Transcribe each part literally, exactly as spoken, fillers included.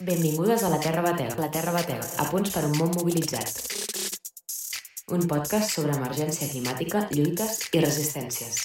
Benvingudes a La Terra Bateu, La Terra Bateu, a punts per un món mobilitzat. Un podcast sobre emergència climàtica, lluites i resistències.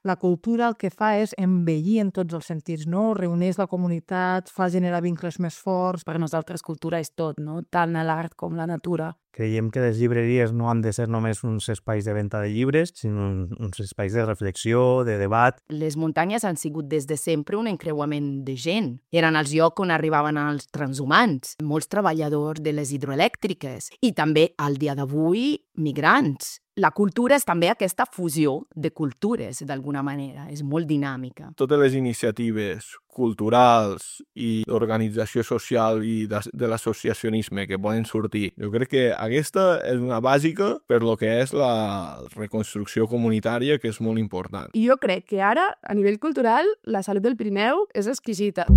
La cultura el que fa és embellir en tots els sentits, no? Reuneix la comunitat, fa generar vincles més forts. Per nosaltres cultura és tot, no? Tant l'art com la natura. Creiem que les llibreries no han de ser només uns espais de venda de llibres, sinó uns espais de reflexió, de debat. Les muntanyes han sigut des de sempre un encreuament de gent. Eren els llocs on arribaven els transhumants, molts treballadors de les hidroelèctriques i també, al dia d'avui, migrants. La cultura és també aquesta fusió de cultures, d'alguna manera. És molt dinàmica. Totes les iniciatives culturals i d'organització social i de, de l'associacionisme que poden sortir, jo crec que aquesta és una bàsica per lo que és la reconstrucció comunitària, que és molt important. I jo crec que ara, a nivell cultural, la salut del Pirineu és exquisita.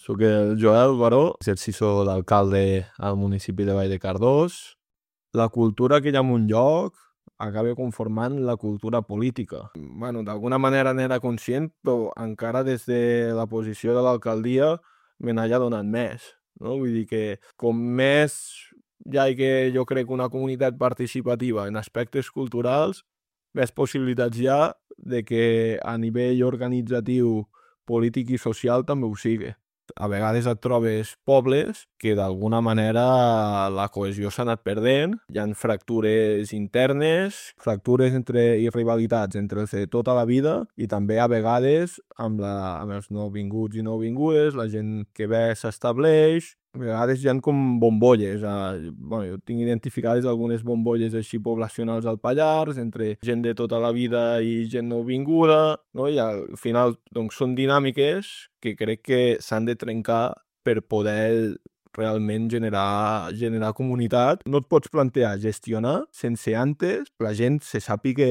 Soc el Joel Baró, exercicio d'alcalde al municipi de Vall de Cardós. La cultura que hi ha en un lloc acaba conformant la cultura política. Bueno, d'alguna manera n'era conscient, però encara des de la posició de l'alcaldia me n'haya donat més. No? Vull dir que com més hi ha que jo crec una comunitat participativa en aspectes culturals, més possibilitats hi ha de que a nivell organitzatiu, polític i social també ho sigui. A vegades et trobes pobles que d'alguna manera la cohesió s'ha anat perdent, hi ha fractures internes, fractures entre, i rivalitats entre els de tota la vida i també a vegades amb, la, amb els nouvinguts i nouvingudes, la gent que ve s'estableix. A vegades hi ha com bombolles. Eh? Bueno, jo tinc identificades algunes bombolles així poblacionals al Pallars, entre gent de tota la vida i gent nouvinguda, no? I al final doncs, són dinàmiques que crec que s'han de trencar per poder realment generar, generar comunitat. No et pots plantear gestionar sense antes la gent se sàpiga,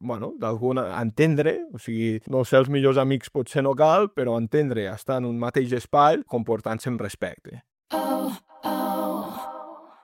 bueno, d'alguna, entendre, o sigui, no ser els millors amics potser no cal, però entendre, estar en un mateix espai comportant-se amb respecte. Oh, oh,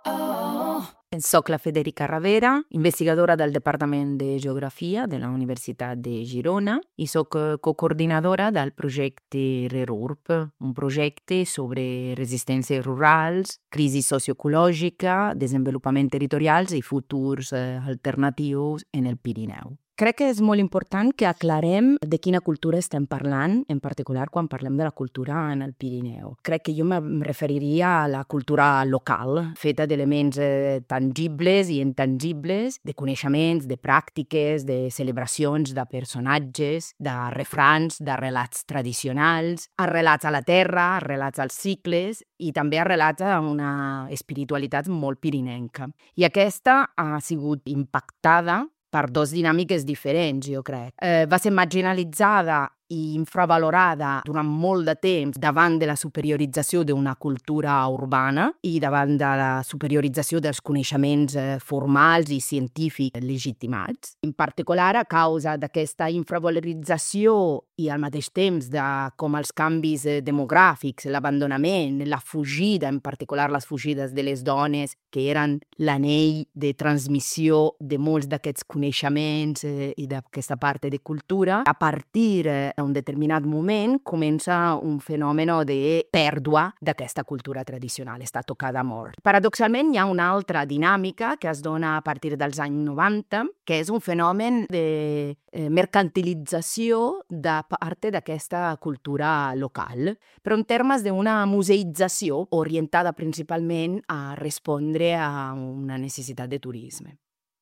oh. Soc la Federica Ravera, investigadora del Departament de Geografia de la Universitat de Girona i soc cocoordinadora del projecte RERURB, un projecte sobre resistències rurals, crisi socioecològica, desenvolupament territorials i futurs alternatius en el Pirineu. Crec que és molt important que aclarem de quina cultura estem parlant, en particular quan parlem de la cultura en el Pirineu. Crec que jo em referiria a la cultura local, feta d'elements eh, tangibles i intangibles, de coneixements, de pràctiques, de celebracions, de personatges, de refrans, de relats tradicionals, arrelats a la terra, arrelats als cicles i també arrelats a una espiritualitat molt pirinenca. I aquesta ha sigut impactada per dos dinàmiques diferents, jo crec. Eh, va ser marginalitzada i infravalorada durant molt de temps davant de la superiorització d'una cultura urbana i davant de la superiorització dels coneixements eh, formals i científics legitimats. En particular, a causa d'aquesta infravalorització i al mateix temps de com els canvis eh, demogràfics, l'abandonament, la fugida, en particular les fugides de les dones, que eren l'anell de transmissió de molts d'aquests coneixements eh, i d'aquesta part de cultura, a partir eh, a un determinat moment comença un fenomen de pèrdua d'aquesta cultura tradicional, està tocada a mort. Paradoxalment, hi ha una altra dinàmica que es dona a partir dels anys noranta, que és un fenomen de eh, mercantilització de part d'aquesta cultura local, però en termes d'una museïtzació orientada principalment a respondre a una necessitat de turisme.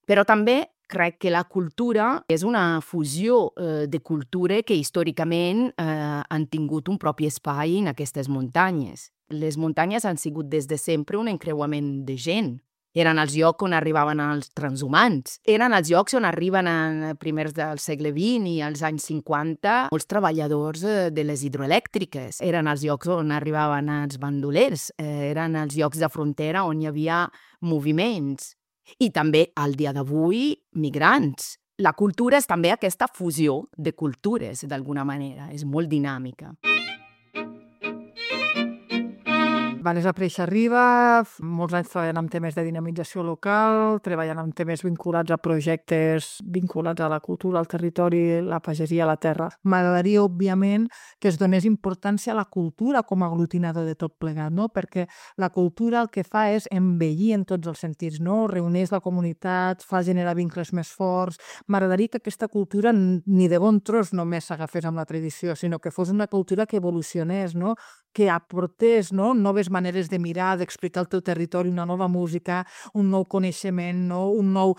Però també crec que la cultura és una fusió eh, de cultures que històricament eh, han tingut un propi espai en aquestes muntanyes. Les muntanyes han sigut des de sempre un encreuament de gent. Eren els llocs on arribaven els transhumants. Eren els llocs on arriben a primers del segle vint i als anys cinquanta molts treballadors de les hidroelèctriques. Eren els llocs on arribaven els bandolers. Eren els llocs de frontera on hi havia moviments. I també, al dia d'avui, migrants. La cultura és també aquesta fusió de cultures, d'alguna manera. És molt dinàmica. Vanessa Preixarriba, molts anys treballant amb temes de dinamització local, treballant amb temes vinculats a projectes vinculats a la cultura, al territori, la pagesia, la terra. M'agradaria, òbviament, que es donés importància a la cultura com a aglutinador de tot plegat, no? Perquè la cultura el que fa és embellir en tots els sentits, no? Reuneix la comunitat, fa generar vincles més forts. M'agradaria que aquesta cultura ni de bon tros només s'agafés amb la tradició, sinó que fos una cultura que evolucionés, no? Que aportés, no? Noves maneres de mirar, d'explicar el teu territori, una nova música, un nou coneixement, no? un nou,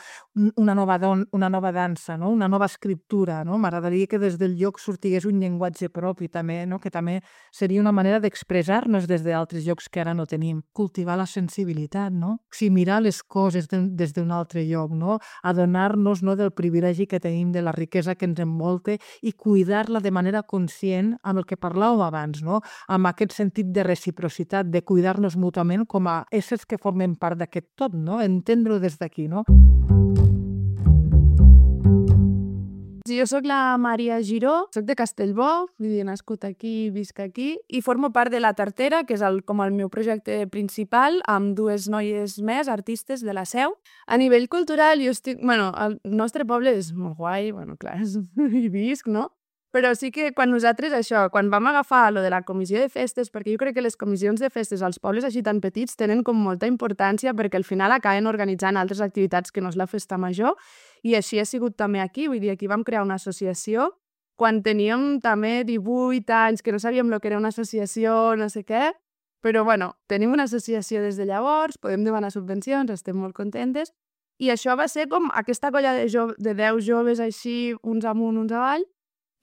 una, nova don, una nova dansa, no? Una nova escriptura. No? M'agradaria que des del lloc sortigués un llenguatge propi també, no? Que també seria una manera d'expressar-nos des d'altres llocs que ara no tenim. Cultivar la sensibilitat, no? O sigui, mirar les coses de, des d'un altre lloc, no? Adonar-nos, no, del privilegi que tenim, de la riquesa que ens envolta i cuidar-la de manera conscient amb el que parlàvem abans, no? Amb aquest sentit de reciprocitat, de cuidar-nos mútuament com a éssers que formen part d'aquest tot, no? Entendre-ho des d'aquí, no? Jo soc la Maria Giró, soc de Castellbò, he nascut aquí, visc aquí, i formo part de La Tartera, que és el, com el meu projecte principal, amb dues noies més, artistes de la Seu. A nivell cultural, jo estic... Bueno, el nostre poble és molt guai, bueno, clar, hi visc, no? Però sí que quan nosaltres, això, quan vam agafar lo de la comissió de festes, perquè jo crec que les comissions de festes als pobles així tan petits tenen com molta importància perquè al final acaben organitzant altres activitats que no és la festa major, i així ha sigut també aquí. Vull dir, aquí vam crear una associació quan teníem també divuit anys, que no sabíem el que era una associació, no sé què, però bueno, tenim una associació des de llavors, podem demanar subvencions, estem molt contentes, i això va ser com aquesta colla de, jo de deu joves així, uns amunt, uns avall,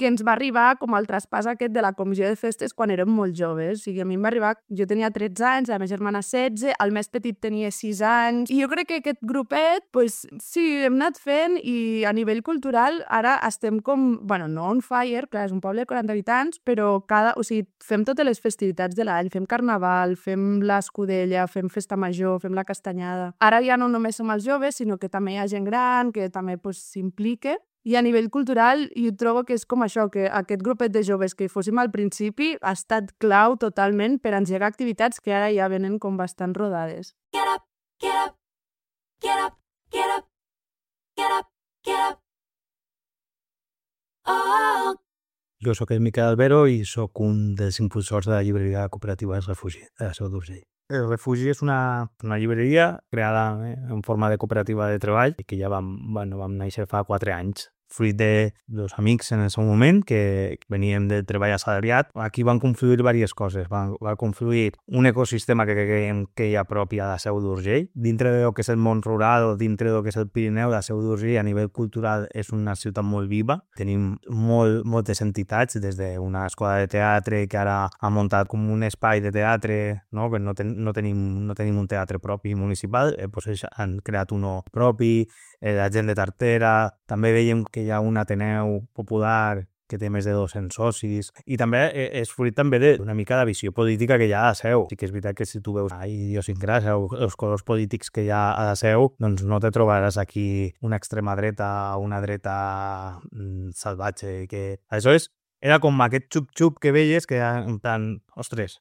que ens va arribar com el traspàs aquest de la comissió de festes quan érem molt joves. O sigui, a mi em va arribar... Jo tenia tretze anys, la meva germana setze, el més petit tenia sis anys, i jo crec que aquest grupet, pues, sí, hem anat fent, i a nivell cultural ara estem com... Bueno, no on fire, clar, és un poble de quaranta habitants, però cada... O sigui, fem totes les festivitats de l'any, fem carnaval, fem l'escudella, fem festa major, fem la castanyada. Ara ja no només som els joves, sinó que també hi ha gent gran que també pues, s'implica. I a nivell cultural, jo trobo que és com això, que aquest grupet de joves que fóssim al principi ha estat clau totalment per engegar activitats que ara ja venen com bastant rodades. Get up, get up, get up, get up, get up, get up. Oh. Jo sóc el Miquel Albero i sóc un dels impulsors de la llibreria cooperativa El Refugi, de la Seu d'Urgell. El Refugi és una, una llibreria creada eh, en forma de cooperativa de treball i que ja vam, bueno, vam néixer fa quatre anys. Fruit de dos amics en el seu moment que veníem del treball assalariat. Aquí van confluir diverses coses. Va, va confluir un ecosistema que creiem que hi ha propi a la Seu d'Urgell. Dintre del que és el món rural o dintre del que és el Pirineu, la Seu d'Urgell a nivell cultural és una ciutat molt viva. Tenim molt, moltes entitats, des d'una escola de teatre que ara ha muntat com un espai de teatre, no? Que no, ten, no, tenim, no tenim un teatre propi municipal, eh, doncs han creat un propi, eh, la gent de Tartera. També veiem que hi ha un Ateneu popular que té més de dos-cents socis, i també és fruit també d'una mica de visió política que hi ha a la Seu. Sí que és veritat que si tu veus la idiosincràsia o els colors polítics que hi ha a la Seu, doncs no te trobaràs aquí una extrema dreta o una dreta mm, salvatge. Que... Aleshores, era com aquest xup-xup que veies, que en plan, ostres,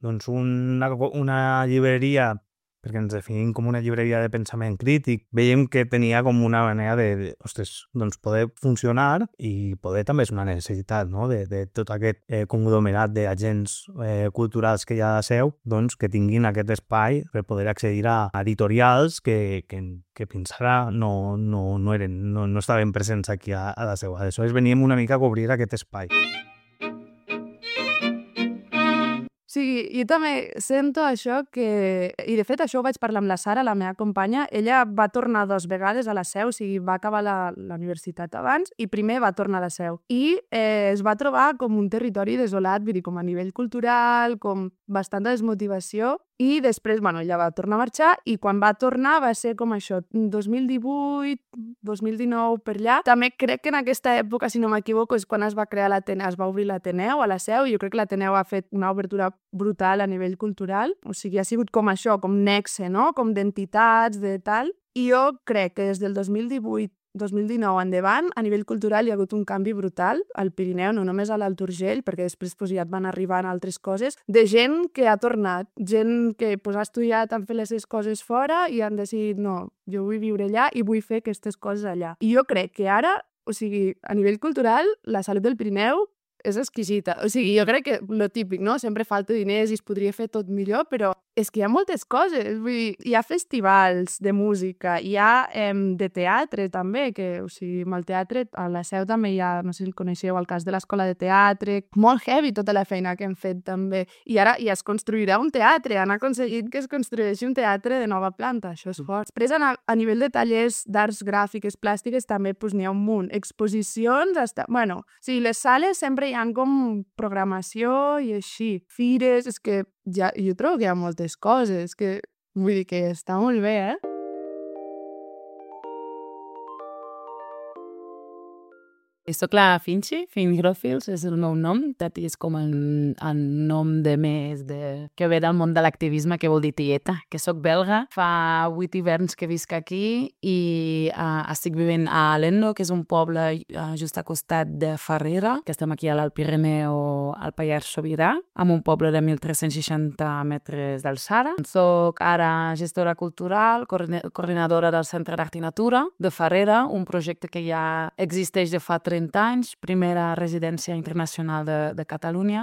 doncs una, una llibreria, perquè ens definim com una llibreria de pensament crític, veiem que tenia com una manera de, de ostres, doncs poder funcionar, i poder també és una necessitat, no? de, de tot aquest eh, conglomerat d'agents eh, culturals que hi ha a la Seu, doncs que tinguin aquest espai per poder accedir a editorials que, que, que fins ara no, no, no, eren, no, no estaven presents aquí a, a la Seu. Aleshores veníem una mica a cobrir aquest espai. Sí, jo també sento això que... I de fet això ho vaig parlar amb la Sara, la meva companya. Ella va tornar dues vegades a la Seu, o sigui, va acabar la, la universitat abans i primer va tornar a la Seu. I eh, es va trobar com un territori desolat, vull dir, com a nivell cultural, com bastanta desmotivació. I després, bueno, ella va tornar a marxar i quan va tornar va ser com això, dos mil divuit, dos mil dinou, per allà. També crec que en aquesta època, si no m'equivoco, és quan es va crear l'Ateneu, es va obrir l'Ateneu a la Seu, i jo crec que l'Ateneu ha fet una obertura brutal a nivell cultural. O sigui, ha sigut com això, com nexe, no? Com d'entitats, de tal. I jo crec que des del dos mil divuit dos mil dinou endavant, a nivell cultural hi ha hagut un canvi brutal al Pirineu, no només a l'Alt Urgell, perquè després pues, ja et van arribant altres coses, de gent que ha tornat, gent que pues, ha estudiat, han fet les seves coses fora i han decidit, no, jo vull viure allà i vull fer aquestes coses allà. I jo crec que ara, o sigui, a nivell cultural, la salut del Pirineu és exquisita. O sigui, jo crec que lo típic, no? Sempre falta diners i es podria fer tot millor, però és que hi ha moltes coses. Vull dir, hi ha festivals de música, hi ha eh, de teatre també, que, o sigui, amb el teatre, a la Seu també hi ha, no sé si el coneixeu, el cas de l'Escola de Teatre, molt heavy tota la feina que hem fet també. I ara ja es construirà un teatre, han aconseguit que es construeixi un teatre de nova planta, això és fort. Després, a, a nivell de tallers d'arts gràfiques, plàstiques, també pues, n'hi ha un munt. Exposicions, hasta... bueno, o sigui, les sales sempre hi ha com programació i així. Fires, és que ja, jo trobo que hi ha moltes coses, que vull dir que està molt bé, eh? Soc la Finchi, Finch Grofils és el meu nom, Tati és com el, el nom de més de... que ve del món de l'activisme, que vol dir tieta, que soc belga. Fa vuit hiverns que visc aquí i uh, estic vivint a Alendo, que és un poble uh, just a costat de Farrera, que estem aquí a l'Alt Pirineu, al Pallars Sobirà, amb un poble de mil tres-cents seixanta metres d'alçada. Soc ara gestora cultural, coordinadora del Centre d'Art i Natura de Farrera, un projecte que ja existeix de fa trenta anys, primera residència internacional de, de Catalunya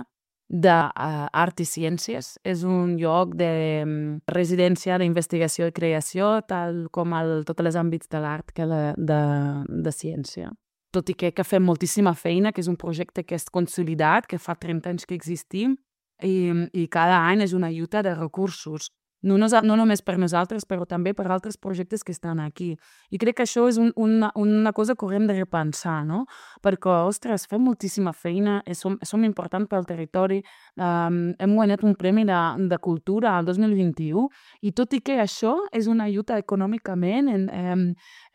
d'art i ciències. És un lloc de residència d'investigació i creació, tal com el, tots els àmbits de l'art que de, de, de ciència. Tot i que, que fem moltíssima feina, que és un projecte que és consolidat, que fa trenta anys que existim, i, i cada any és una lluita de recursos. No, no, no només per nosaltres, però també per altres projectes que estan aquí. I crec que això és un, una, una cosa que haurem de repensar, no? Perquè, ostres, fem moltíssima feina, som, som importants pel territori, um, hem guanyat un premi de, de cultura al dos mil vint-i-u, i tot i que això és una lluita econòmicament, en, em,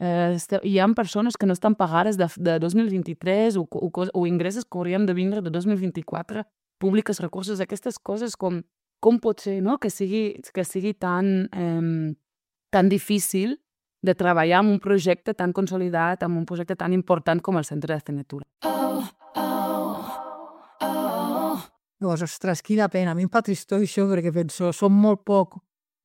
eh, hi ha persones que no estan pagades de, de dos mil vint-i-tres o, o, o ingressos que haurien de vindre de dos mil vint-i-quatre, públics recursos, aquestes coses com com pot ser, no? que sigui, que sigui tan, eh, tan difícil de treballar en un projecte tan consolidat, en un projecte tan important com el Centre d'Art i Natura. Oh, oh, oh. Llavors, ostres, quina pena. A mi em fa tristor això, perquè penso, som molt poc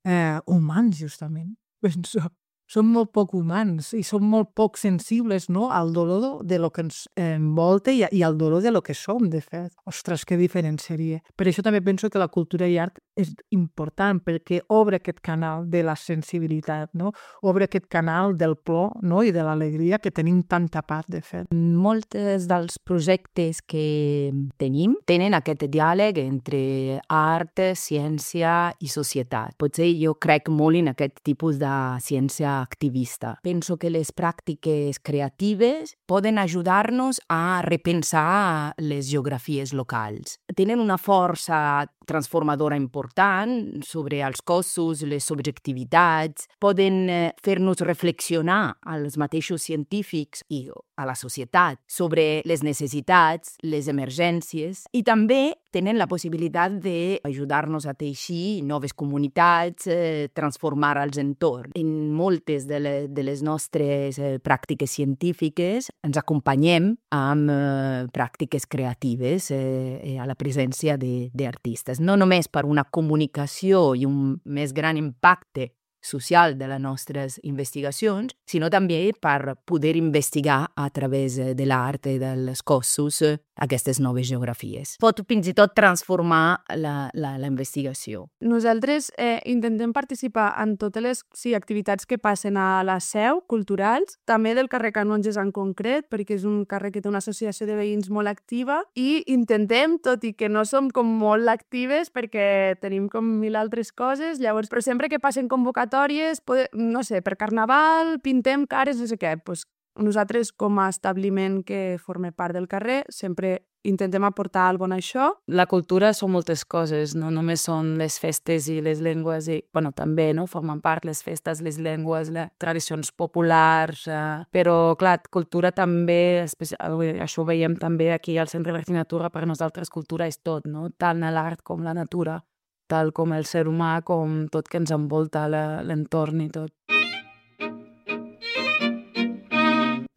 eh, humans, justament. Penso, som molt poc humans i som molt poc sensibles, no?, al dolor de lo que ens envolta i, i al dolor de lo que som, de fet. Ostres, que diferent seria. Per això també penso que la cultura i art és important, perquè obre aquest canal de la sensibilitat, no? Obre aquest canal del plor, no?, i de l'alegria que tenim tanta part, de fet. Moltes dels projectes que tenim tenen aquest diàleg entre art, ciència i societat. Potser jo crec molt en aquest tipus de ciència activista. Penso que les pràctiques creatives poden ajudar-nos a repensar les geografies locals. Tenen una força transformadora important sobre els cossos, les subjectivitats, poden fer-nos reflexionar als mateixos científics i a la societat sobre les necessitats, les emergències, i també tenen la possibilitat d'ajudar-nos a teixir noves comunitats, eh, transformar els entorns. En moltes de, le, de les nostres eh, pràctiques científiques ens acompanyem amb eh, pràctiques creatives eh, a la presència d'artistes. No només per una comunicació i un més gran impacte social de les nostres investigacions, sinó també per poder investigar a través de l'art i dels cossos aquestes noves geografies. Pot fins i tot transformar la, la, la investigació. Nosaltres eh, intentem participar en totes les sí, activitats que passen a la Seu, culturals, també del carrer Canonges en concret, perquè és un carrer que té una associació de veïns molt activa, i intentem, tot i que no som com molt actives perquè tenim com mil altres coses, llavors, però sempre que passen convocatòries, poder, no sé, per Carnaval, pintem cares, no sé què, doncs nosaltres com a establiment que forma part del carrer sempre intentem aportar alguna cosa a això. La cultura són moltes coses, no només són les festes i les llengües, i, bueno, també, no?, formen part les festes, les llengües, les tradicions populars, eh, però, clar, cultura també, això ho veiem també aquí al Centre d'Art i Natura, per nosaltres cultura és tot, no?, tant l'art com la natura, tal com el ser humà, com tot que ens envolta l'entorn i tot.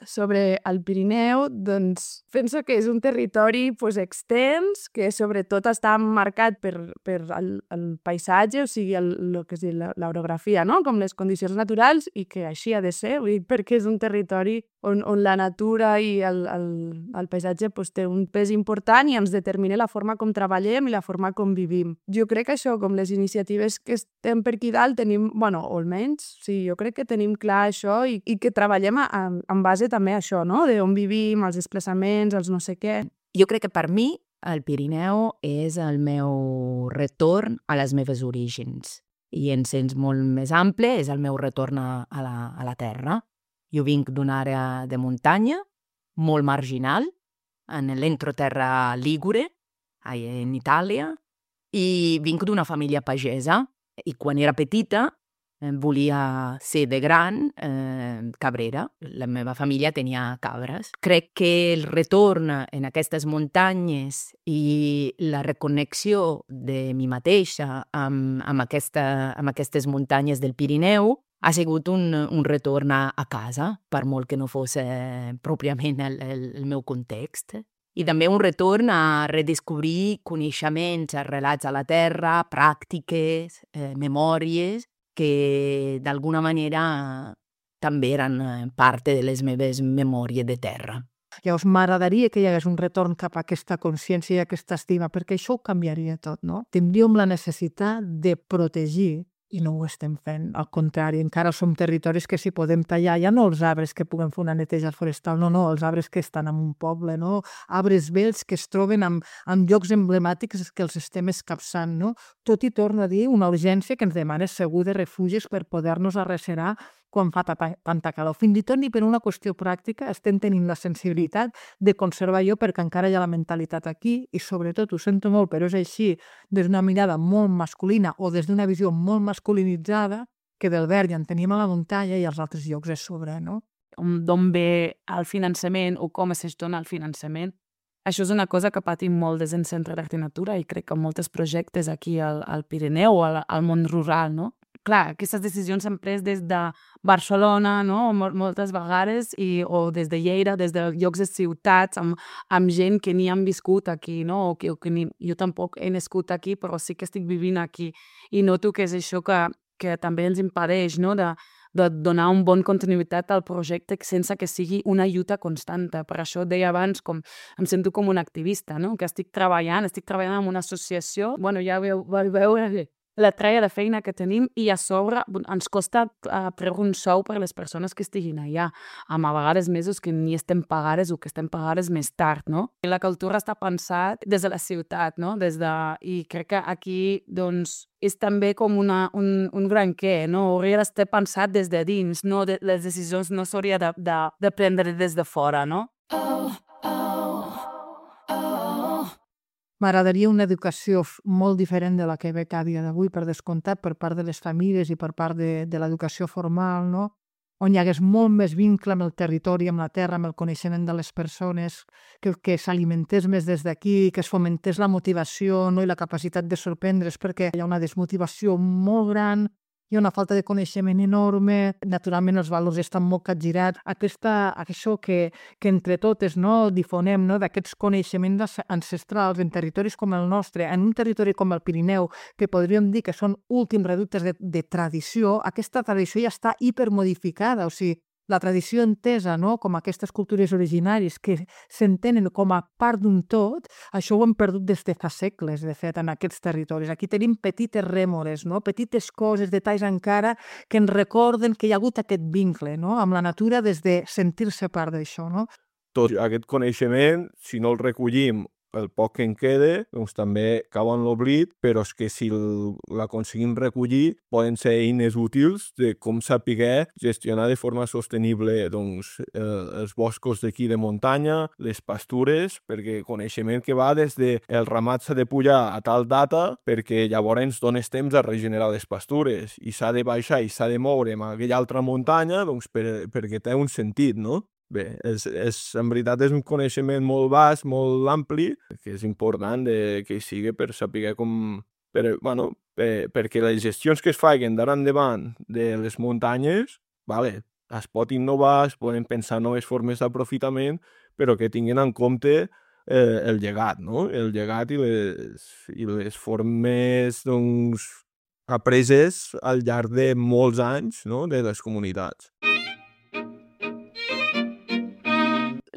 sobre el Pirineu, doncs penso que és un territori pues, extens, que sobretot està marcat per, per el, el paisatge, o sigui, el, el que és l'orografia, no? Com les condicions naturals, i que així ha de ser, vull dir, perquè és un territori on, on la natura i el, el, el paisatge pues, té un pes important i ens determina la forma com treballem i la forma com vivim. Jo crec que això, com les iniciatives que estem per aquí dalt, tenim, bueno, o almenys, sí, jo crec que tenim clar això i, i que treballem a, a, en base també a això, no? De on vivim, els desplaçaments, els no sé què. Jo crec que per mi el Pirineu és el meu retorn a les meves orígens. I en sens molt més ample és el meu retorn a, a, la, a la terra. Jo vinc d'una àrea de muntanya molt marginal, en l'entroterra Ligure, en Itàlia, i vinc d'una família pagesa. I quan era petita volia ser de gran eh, cabrera. La meva família tenia cabres. Crec que el retorn en aquestes muntanyes i la reconnexió de mi mateixa amb, amb, aquesta, amb aquestes muntanyes del Pirineu ha sigut un, un retorn a, a casa, per molt que no fos eh, pròpiament el, el, el meu context. I també un retorn a redescobrir coneixements relats a la terra, pràctiques, eh, memòries, que d'alguna manera també eren part de les meves memòries de terra. Llavors m'agradaria que hi hagués un retorn cap a aquesta consciència i aquesta estima, perquè això ho canviaria tot, no? Tindríem la necessitat de protegir, i no ho estem fent, al contrari, encara som territoris que si podem tallar, ja no els arbres que puguem fer una neteja forestal, no, no, els arbres que estan en un poble, no? Arbres vells que es troben en, en llocs emblemàtics que els estem escapçant, no? Tot i, torno a dir, una urgència que ens demana segur de refugis per poder-nos arrecerar quan fa tanta calor. Fins i tot ni per una qüestió pràctica estem tenint la sensibilitat de conservar allò perquè encara hi ha la mentalitat aquí i sobretot, ho sento molt, però és així, des d'una mirada molt masculina o des d'una visió molt masculinitzada que del verd ja en tenim a la muntanya i als altres llocs és sobre, no? D'on ve el finançament o com es gestiona el finançament. Això és una cosa que patim molt des del Centre d'Art i Natura i crec que molts projectes aquí al, al Pirineu o al, al món rural, no? Clar, aquestes decisions s'han pres des de Barcelona, no? Moltes vegades, i, o des de Lleida, des de llocs de ciutats, amb, amb gent que ni han viscut aquí, no? O que, o que ni, jo tampoc he nascut aquí, però sí que estic vivint aquí. I noto que és això que, que també ens impedeix, no? De, de donar un bon continuïtat al projecte sense que sigui una lluita constanta. Per això deia abans, com em sento com un activista, no? Que estic treballant, estic treballant en una associació, bueno, ja veu, veure la tralla de feina que tenim i a sobre ens costa uh, treure un sou per a les persones que estiguin allà, amb a vegades mesos que ni estem pagades o que estem pagades més tard, no? I la cultura està pensat des de la ciutat, no? Des de... I crec que aquí, doncs, és també com una, un, un gran què, no? Hauria d'estar pensat des de dins, no? De, les decisions no s'hauria de, de, de prendre des de fora, no? Oh, oh, oh. M'agradaria una educació molt diferent de la que veig a dia d'avui, per descomptat, per part de les famílies i per part de, de l'educació formal, no? On hi hagués molt més vincle amb el territori, amb la terra, amb el coneixement de les persones, que, que s'alimentés més des d'aquí, que es fomentés la motivació, no? I la capacitat de sorprendre's, perquè hi ha una desmotivació molt gran, hi ha una falta de coneixement enorme, naturalment els valors estan molt capgirats. Aquesta, això que, que entre totes, no, difonem, no, d'aquests coneixements ancestrals en territoris com el nostre, en un territori com el Pirineu, que podríem dir que són últims reductes de, de tradició, aquesta tradició ja està hipermodificada, o sigui, la tradició entesa, no? Com aquestes cultures originàries que s'entenen com a part d'un tot, això ho hem perdut des de fa segles, de fet, en aquests territoris. Aquí tenim petites rèmores, no? Petites coses, detalls encara, que ens recorden que hi ha hagut aquest vincle, no? Amb la natura des de sentir-se part d'això, no? Tot aquest coneixement, si no el recollim el poc que en quede, doncs també cau en l'oblit, però és que si l'aconseguim recollir poden ser eines útils de com saber gestionar de forma sostenible doncs, eh, els boscos d'aquí de muntanya, les pastures, perquè coneixement que va des de el ramat s'ha de pujar a tal data perquè llavors dones temps a regenerar les pastures i s'ha de baixar i s'ha de moure en aquella altra muntanya doncs, per, perquè té un sentit, no? Bé, és, és, en veritat és un coneixement molt vast, molt ampli, que és important de, que hi sigui per saber com... Per, bueno, per, perquè les gestions que es facin d'ara endavant de les muntanyes, vale, es pot innovar, es poden pensar noves formes d'aprofitament, però que tinguin en compte eh, el llegat, no? El llegat i les, i les formes, doncs, apreses al llarg de molts anys, no?, de les comunitats.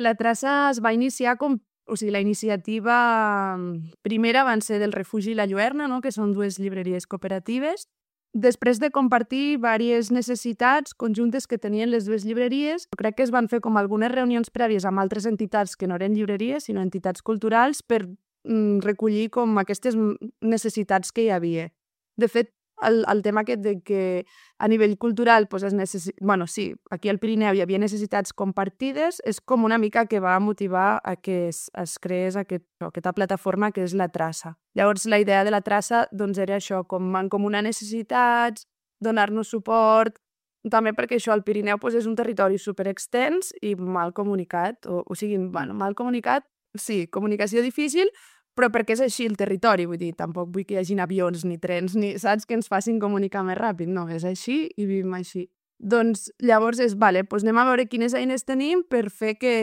La traça es va iniciar com... O sigui, la iniciativa primera van ser del Refugi i la Lluerna, no?, que són dues llibreries cooperatives. Després de compartir diverses necessitats conjuntes que tenien les dues llibreries, crec que es van fer com algunes reunions prèvies amb altres entitats que no eren llibreries, sinó entitats culturals, per mm, recollir com aquestes necessitats que hi havia. De fet, el, el tema aquest de que a nivell cultural pues, es necessi... bueno, sí, aquí al Pirineu hi havia necessitats compartides, és com una mica que va motivar a que es, es creés aquest, aquesta plataforma que és la traça. Llavors, la idea de la traça doncs, era això, com mancomunar necessitats, donar-nos suport, també perquè això, el Pirineu pues, és un territori superextens i mal comunicat, o, o sigui, bueno, mal comunicat, sí, comunicació difícil, però perquè és així el territori, vull dir, tampoc vull que hi hagin avions ni trens, ni saps que ens facin comunicar més ràpid, no, és així i vivim així. Doncs llavors és, vale, doncs anem a veure quines eines tenim per fer que,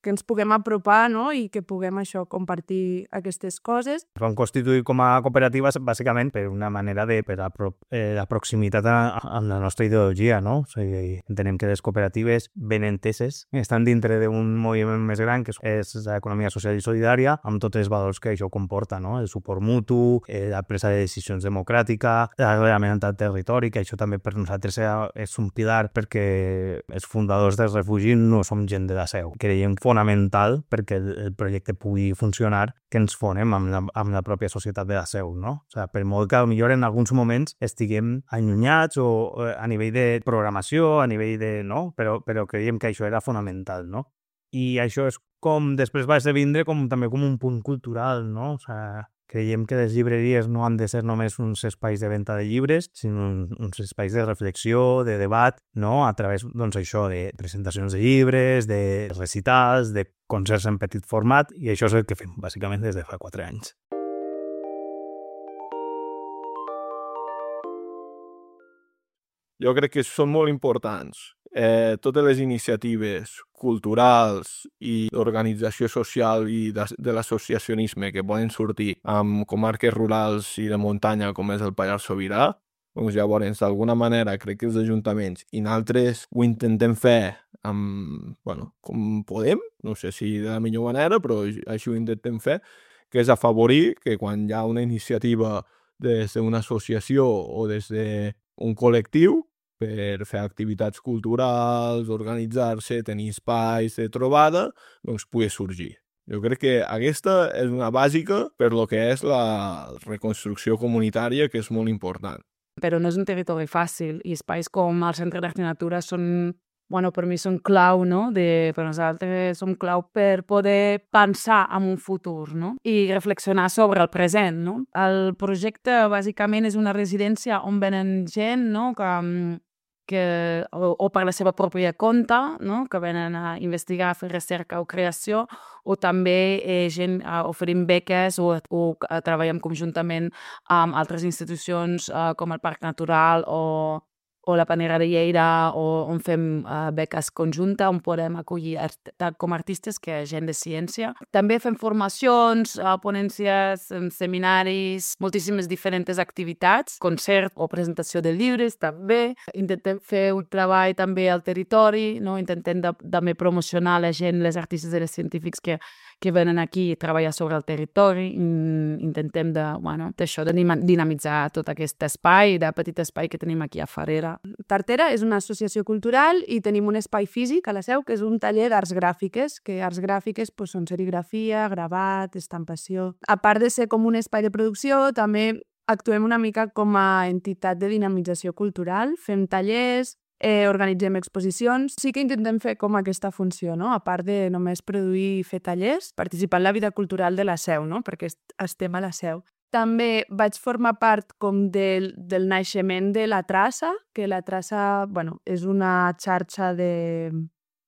que ens puguem apropar, no?, i que puguem això, compartir aquestes coses. Es van constituir com a cooperatives bàsicament per una manera de per la, pro, eh, la proximitat amb la nostra ideologia, no? O sigui, entenem que les cooperatives ben enteses estan dintre d'un moviment més gran que és l'economia social i solidària, amb tots els valors que això comporta, no? El suport mutu, eh, la presa de decisions democràtica, l'arrelament al territori, que això també per nosaltres és un pilar perquè els fundadors dels refugis no som gent de la Seu. Creiem fonamental perquè el, el projecte pugui funcionar que ens fonem amb la, amb la pròpia societat de la Seu, no? O sigui, per molt que millor en alguns moments estiguem allunyats o eh, a nivell de programació, a nivell de... no? Però, però creiem que això era fonamental, no? I això és com després va esdevindre com, també com un punt cultural, no? O sigui, creiem que les llibreries no han de ser només uns espais de venda de llibres, sinó uns espais de reflexió, de debat, no? A través, doncs, això, de presentacions de llibres, de recitals, de concerts en petit format, i això és el que fem, bàsicament, des de fa quatre anys. Jo crec que són molt importants. Eh, totes les iniciatives culturals i d'organització social i de, de l'associacionisme que poden sortir amb comarques rurals i de muntanya com és el Pallars Sobirà, doncs llavors, d'alguna manera, crec que els ajuntaments i nosaltres ho intentem fer amb, bueno, com podem, no sé si de la millor manera, però així ho intentem fer, que és afavorir que quan hi ha una iniciativa des d'una associació o des d'un col·lectiu, per fer activitats culturals, organitzar-se, tenir espais de trobada, doncs pugui sorgir. Jo crec que aquesta és una bàsica per lo que és la reconstrucció comunitària, que és molt important. Però no és un territori fàcil i espais com el Centre d'Art i Natura són, bueno, per mi són clau, no? De, per nosaltres són clau per poder pensar en un futur, no? I reflexionar sobre el present, no? El projecte bàsicament és una residència on venen gent, no?, que que, o, o per la seva pròpia compte, no? Que venen a investigar, a fer recerca o creació, o també eh, gent eh, oferint beques o, o eh, treballem conjuntament amb altres institucions eh, com el Parc Natural o, o la Panera de Lleida, o on fem uh, beques conjunta, on podem acollir art com artistes que gent de ciència. També fem formacions, uh, ponències, seminaris, moltíssimes diferents activitats, concert o presentació de llibres també. Intentem fer un treball també al territori, no? Intentem de, també promocionar la gent, les artistes i els científics que que venen aquí a treballar sobre el territori. Intentem de, bueno, d'això, de dinamitzar tot aquest espai, de petit espai que tenim aquí a Farera. Tartera és una associació cultural i tenim un espai físic a la Seu, que és un taller d'arts gràfiques, que arts gràfiques pues, són serigrafia, gravat, estampació. A part de ser com un espai de producció, també actuem una mica com a entitat de dinamització cultural, fem tallers, Eh, organitzem exposicions. Sí que intentem fer com aquesta funció, no? A part de només produir i fer tallers, participar en la vida cultural de la Seu, no? Perquè estem a la Seu. També vaig formar part com del, del naixement de la Traça, que la Traça, bueno, és una xarxa de,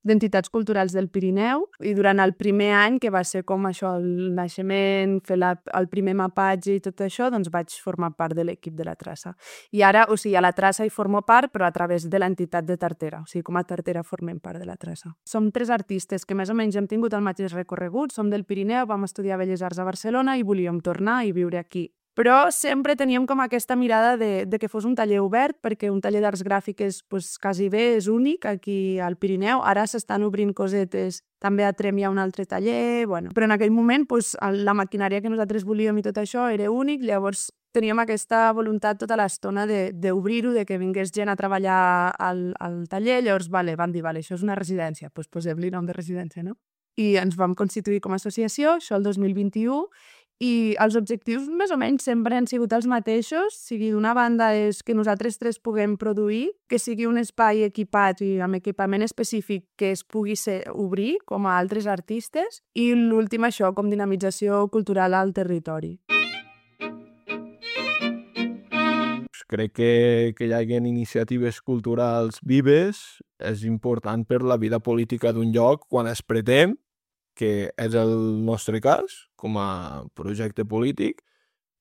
d'entitats culturals del Pirineu, i durant el primer any, que va ser com això, el naixement, fer la, el primer mapatge i tot això, doncs vaig formar part de l'equip de la traça. I ara, o sigui, a la traça hi formo part, però a través de l'entitat de Tartera. O sigui, com a Tartera formem part de la traça. Som tres artistes que més o menys hem tingut el mateix recorregut, som del Pirineu, vam estudiar Belles Arts a Barcelona i volíem tornar i viure aquí. Però sempre teníem com aquesta mirada de, de que fos un taller obert, perquè un taller d'arts gràfiques pues, quasi bé és únic aquí al Pirineu. Ara s'estan obrint cosetes, també a Trem hi ha un altre taller, bueno. Però en aquell moment pues, la maquinària que nosaltres volíem i tot això era únic, llavors teníem aquesta voluntat tota l'estona d'obrir-ho, de, de que vingués gent a treballar al, al taller, llavors vale, van dir, vale, això és una residència, doncs posem-li nom de residència, no? I ens vam constituir com a associació, això el dos mil vint-i-u, i els objectius més o menys sempre han sigut els mateixos. O sigui, d'una banda és que nosaltres tres puguem produir, que sigui un espai equipat i amb equipament específic que es pugui ser, obrir com a altres artistes, i l'últim això, com dinamització cultural al territori. Crec que, que hi hagi iniciatives culturals vives és important per la vida política d'un lloc quan es pretén, que és el nostre cas, com a projecte polític,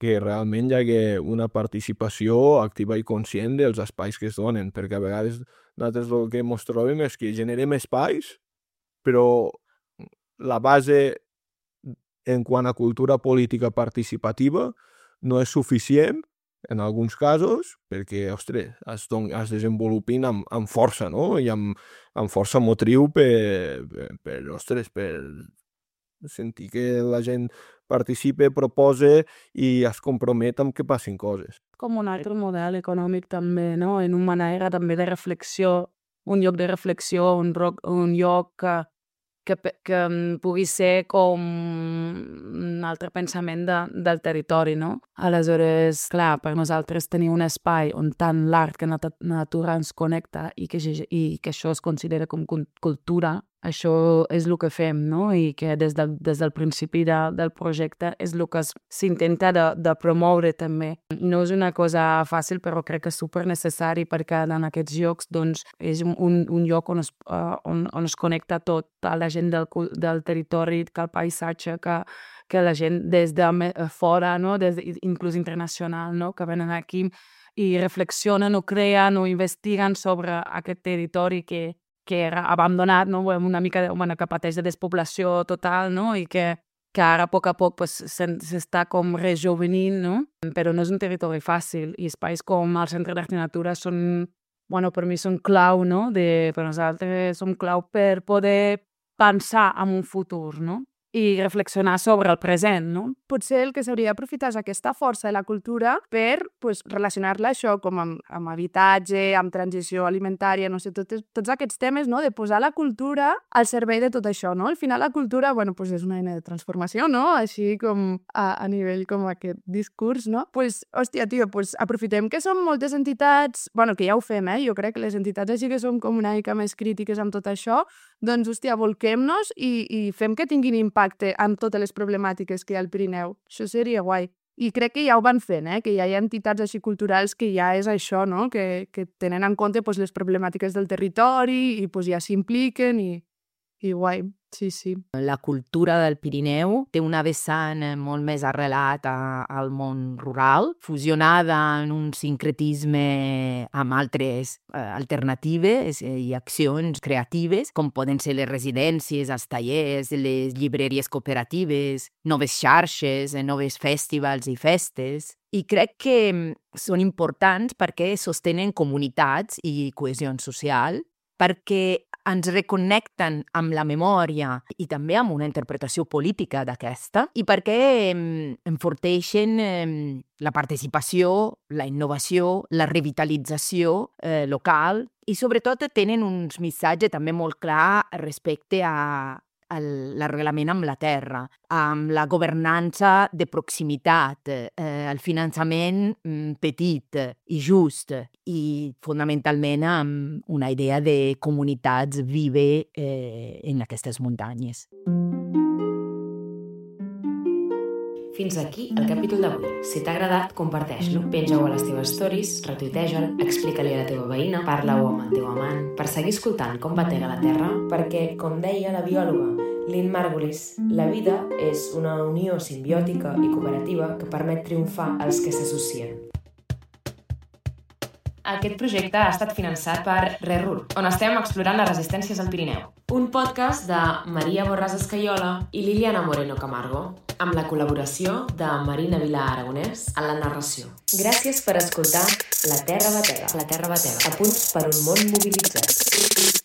que realment hi hagi una participació activa i conscient dels espais que es donen, perquè a vegades nosaltres el que ens trobem és que generem espais, però la base en quant a cultura política participativa no és suficient en alguns casos, perquè, ostres, es, es desenvolupin amb, amb força, no? I amb, amb força motriu per, per, per, ostres, per sentir que la gent participe, propose i es compromet amb que passin coses. Com un altre model econòmic també, no? En una manera també de reflexió, un lloc de reflexió, un, roc, un lloc que, que, que pugui ser com un altre pensament de, del territori, no? Aleshores, clar, per nosaltres tenir un espai on tant l'art que la natura ens connecta i que, i que això es considera com cultura, això és el que fem, no? I que des del, des del principi de, del projecte és el que s'intenta de, de promoure també. No és una cosa fàcil, però crec que és super necessari perquè en aquests llocs doncs, és un, un lloc on es, uh, on, on es connecta tot, a la gent del, del territori, que el paisatge, que, que la gent des de fora, no? Des de, inclús internacional, no? Que venen aquí i reflexionen o creen o investiguen sobre aquest territori que que era abandonat, no? Una mica bueno, que pateix de despoblació total, no? I que, que ara a poc a poc pues, s'està com rejovenint, no? Però no és un territori fàcil i espais com el Centre d'Art i Natura són, bueno, per mi són clau, no? De, per nosaltres són clau per poder pensar en un futur, no? I reflexionar sobre el present, no? Potser el que s'hauria d'aprofitar és aquesta força de la cultura per pues, relacionar-la això com amb, amb habitatge, amb transició alimentària, no sé, tots, tots aquests temes, no? De posar la cultura al servei de tot això, no? Al final la cultura, bueno, pues és una eina de transformació, no? Així com a, a nivell com aquest discurs, no? Pues, hòstia, tio, pues aprofitem que som moltes entitats, bueno, que ja ho fem, eh? Jo crec que les entitats així que som com una mica més crítiques amb tot això, doncs, hòstia, volquem-nos i, i fem que tinguin impacte amb totes les problemàtiques que hi ha al Pirineu. Això seria guai. I crec que ja ho van fent, eh? Que ja hi ha entitats així culturals que ja és això, no? Que, que tenen en compte pues, les problemàtiques del territori i pues, ja s'impliquen i, i guai. Sí, sí. La cultura del Pirineu té una vessant molt més arrelat a, al món rural, fusionada en un sincretisme amb altres eh, alternatives i accions creatives, com poden ser les residències, els tallers, les llibreries cooperatives, noves xarxes, noves festivals i festes. I crec que són importants perquè sostenen comunitats i cohesió social, perquè ens reconnecten amb la memòria i també amb una interpretació política d'aquesta i perquè enforteixen la participació, la innovació, la revitalització eh, local i sobretot tenen uns missatges també molt clar respecte a l'arreglament amb la terra, amb la governança de proximitat, eh, el finançament petit i just i fonamentalment amb una idea de comunitats vives eh, en aquestes muntanyes. Fins aquí el capítol d'avui. Si t'ha agradat, comparteix-lo. Penja-ho a les teves stories, retuiteja'l, explica-li a la teva veïna, parla-ho amb el teu amant, per seguir escoltant com batega la Terra, perquè, com deia la biòloga Lynn Margulis, la vida és una unió simbiòtica i cooperativa que permet triomfar als que s'associen. Aquest projecte ha estat finançat per RERUR, on estem explorant les resistències al Pirineu. Un podcast de Maria Borràs Escaiola i Liliana Moreno Camargo, amb la col·laboració de Marina Vilà Aragonès en la narració. Gràcies per escoltar La Terra Batega. La Terra Batega. A punts per un món mobilitzat.